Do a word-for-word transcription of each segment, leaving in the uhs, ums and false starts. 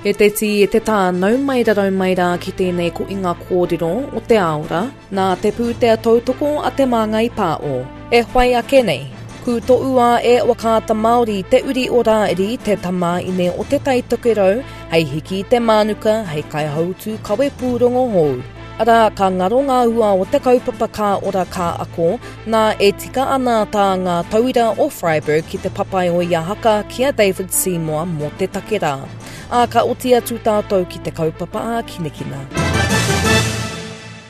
E te tī, e te tā, nau mai rarau mai rā ki tēnei ko inga kōrero o te aora, nā te pūtea tautoko a Te Māngai Pāo. E whai ake nei, ku toua e Whakaata Māori te uri o Rāiri te tamāine o Te Tai Tokerau hei hiki i te mānuka hei kaihautu kawe pūrongo hou. Arā, ka ngaro ngā hua o te kaupapa Ka Ora Ka Ako, nā e tika ana tā ngā tauira o Freyberg ki te Papaioea haka ki a David Seymour mō te take rā. Ā, ka oti atu tātou ki te kaupapa ākinakina.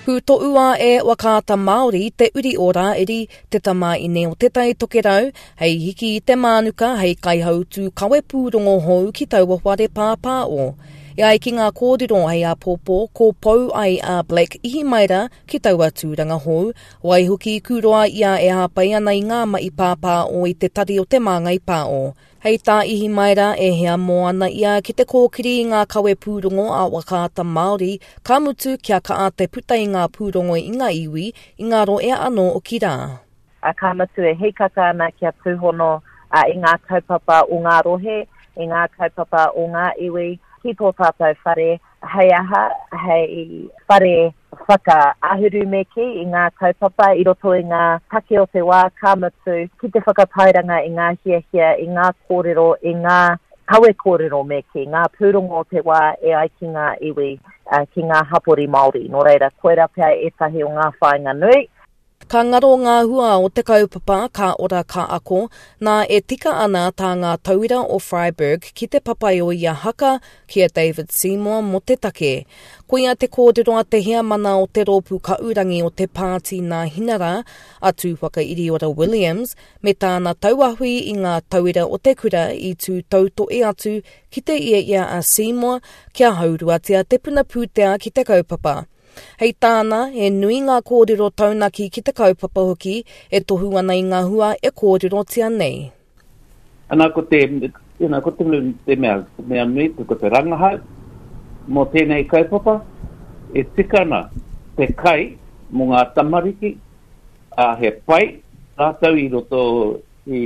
Ku toua e Whakaata Māori te uri o Rāiri, te tamāine o Te Tai Tokerau, hei hiki i te mānuka hei kaihautu kawe pūrongo hou ki taua whare pāpāo. E ai ki ngā kōrero hei āpōpō, ko pou ai a Black Ihimaera ki taua tūranga hou, waihoki kūroa ia e hāpai ana i ngā mahi pāpāo i te tari o Te Māngai Pāo. Hei tā Ihimaera e hea mō ana ia ki te kōkiri i ngā kawe pūrongo a Whakaata Māori, ka mutu kia kaa te puta i ngā pūrongo i ngā iwi, i ngā roea anō o ki rā. A ka mutu e hikaka ana kia tūhono a, i ngā kaupapa o ngā rohe, i ngā kaupapa o ngā iwi, ki tō tātou whare, hei aha, hei whare whakaahuru me kī i ngā kaupapa i roto i ngā take o te wā, ka mutu ki te whakatairanga i ngā hiahia, i ngā kōrero, i ngā kawe kōrero me kī, ngā pūrongo o te wā e ai ki ngā iwi, ki ngā hapori Māori. Nō reira, koira pea ētahi o ngā whāinga nui. Ka ngaro ngā hua o te kaupapa Ka Ora Ka Ako, nā e tika ana tā ngā tauira o Freyberg ki te Papaioea haka ki a David Seymour mō te take. Koia te kōrero a te heamana o te rōpū kaurangi o te pāti Nāhinara, a Tūwhakairiora Williams, me tāna tauahui i ngā tauira o te kura i tū tautoe atu ki te ia ia a Seymour kia hauruatia te puna pūtea ki te kaupapa. Hei tāna, he nui ngā kōrero taunaki ki te kaupapa hoki e tohu ana i ngā hua e kōrerotia nei. Ana ko te, you know, ko te, te mea, te mea nui, ko te rangahau mō tēnei kaupapa, e tika ana te kai mō ngā tamariki, a he pai rātou i roto i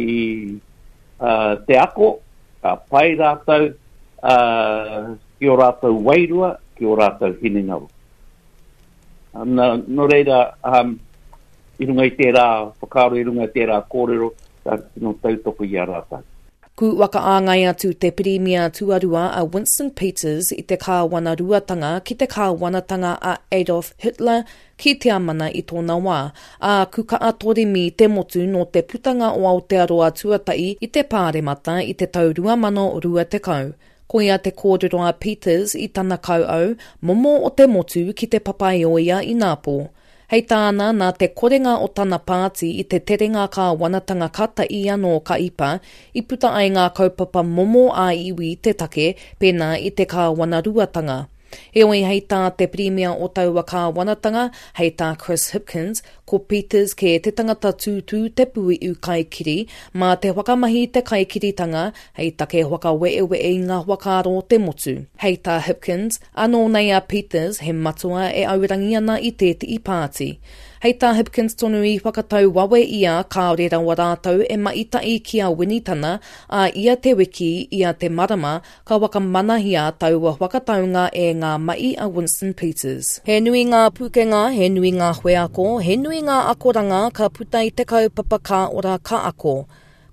uh, te ako, ka pai rātou uh, ki o rātou wairua, ki o rātou hinengaro. Na, nō reira, um, i runga i tērā whakaaro, i runga i tērā kōrero, ka tino tautoko i a rātou. Ku whakaāngai atu te pirimia tuarua a Winston Peters i te kāwanaruatanga ki te kāwanatanga a Adolf Hitler ki Tiamana i tōna wā, ā ku kaa torimi te motu nō te putanga o Aotearoa tuatahi i te pāremata i te tau rua mano rua tekau. Koia te kōrero a Peters i tana kauau, momo o te motu ki te Papaioea i Nāpō. Hei tāna, nā te korenga o tana pāti i te terenga kāwanatanga kata i anō ka ipa, i puta ai ngā kaupapa momo a iwi te take, pēnā i te kāwanaruatanga. Heoi hei tā te pirimia o taua kāwanatanga, hei tā Chris Hipkins, ko Peters kē te tangata tūtū te puiu kaikiri, mā te whakamahi te kaikiritanga, hei take whakaweewe i ngā whakaaro o te motu. Hei tā Hipkins, anō nei a Peters he matua e aurangi ana i tētehi pāti. Hei tā Hipkins tonu i whakatau wawe ia kāore rawa rātou e maita'i ki a Winitana, a ia te wiki, ia te marama, ka whakamanahia taua whakataunga e ngā mahi a Winston Peters. He nui ngā pūkenga, he nui ngā wheako, he nui ngā akoranga ka puta i te kaupapa Ka Ora Ka Ako.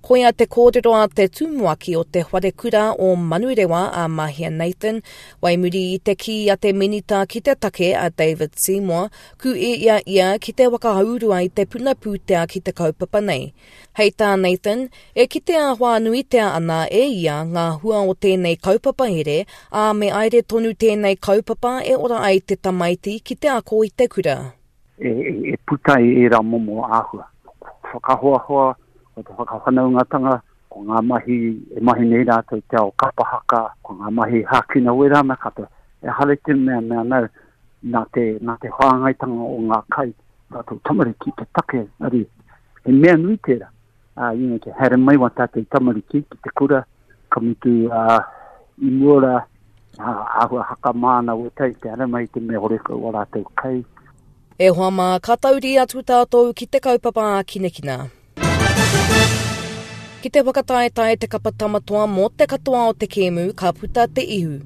Koia te kōrero a te tumuaki o te wharekura o Manurewa a Mahia Nathan, waimuri i te kī a te minita ki te take a David Seymour, ku e ia ia ki te whakahaurua i te puna pūtea ki te kaupapa nei. Hei tā Nathan, e kitea whānuitia ana e ia ngā hua o tēnei kaupapa here, ā me aere tonu tēnei kaupapa e ora ai te tamaiti ki te ako i te kura. E, e, e puta i ērā momo āhua. Whakahoahoa, ko te whakawhanaungatanga, ko ngā mahi e mahi nei rātou te ao kapa haka, ko ngā mahi hākina wera ana katoa. E hare te mea mea nau, nā te, nā te whāngaitanga o ngā kai, tātou tamariki te take, ari, he mea nui tērā. Uh, you know, te haere mai wā tātou tamariki ki te kura, ka mutu uh, i mua rā, uh, āhua haka māna wetai, te haere mai te mea horekau o rātou kai. E hoa mā, ka tauri atu tātou ki te kaupapa ākinakina. Ki te whakataetae te kapa tamatoa mō te katoa o te kēmu, ka puta te ihu.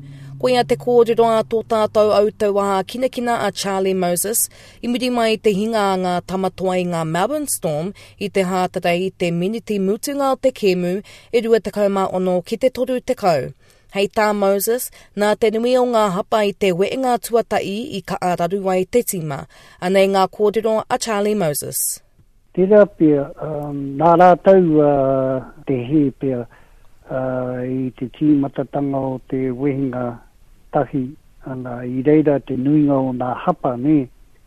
Koia te kōrero a tō tātou autauā kinakina a Charlie Moses i muri mai te hinga a ngā tamatoa i ngā Melbourne Storm i te Hātarei i te miniti mutunga o te kēmu e rua tekau mā ono ki te toru tekau. Hei tā Moses, nā te nui o ngā hapa i te wehenga tuatahi i kaha raru ai te tīma. Anei ngā kōrero a Charlie Moses. Tērā pea, um, nā rātou uh, te hē pea uh, i te tīmatatanga o te wehenga tahi, ana, i reira te nuinga o nā hapa, nē,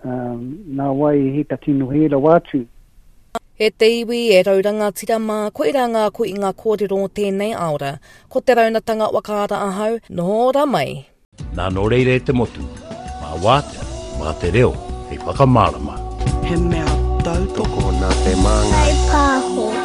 um, nā wai he ka tino hē rawa atu. E te iwi, e rau rangatira mā, koirā ngā koinga kōrero o tēnei aora. Ko te raunatanga whakaara ahau, noho ora mai. Nā nō reira e te motu, mā wātea, mā te reo, hei whakamārama. He mea tautoko nā te māngai. Hei pāho.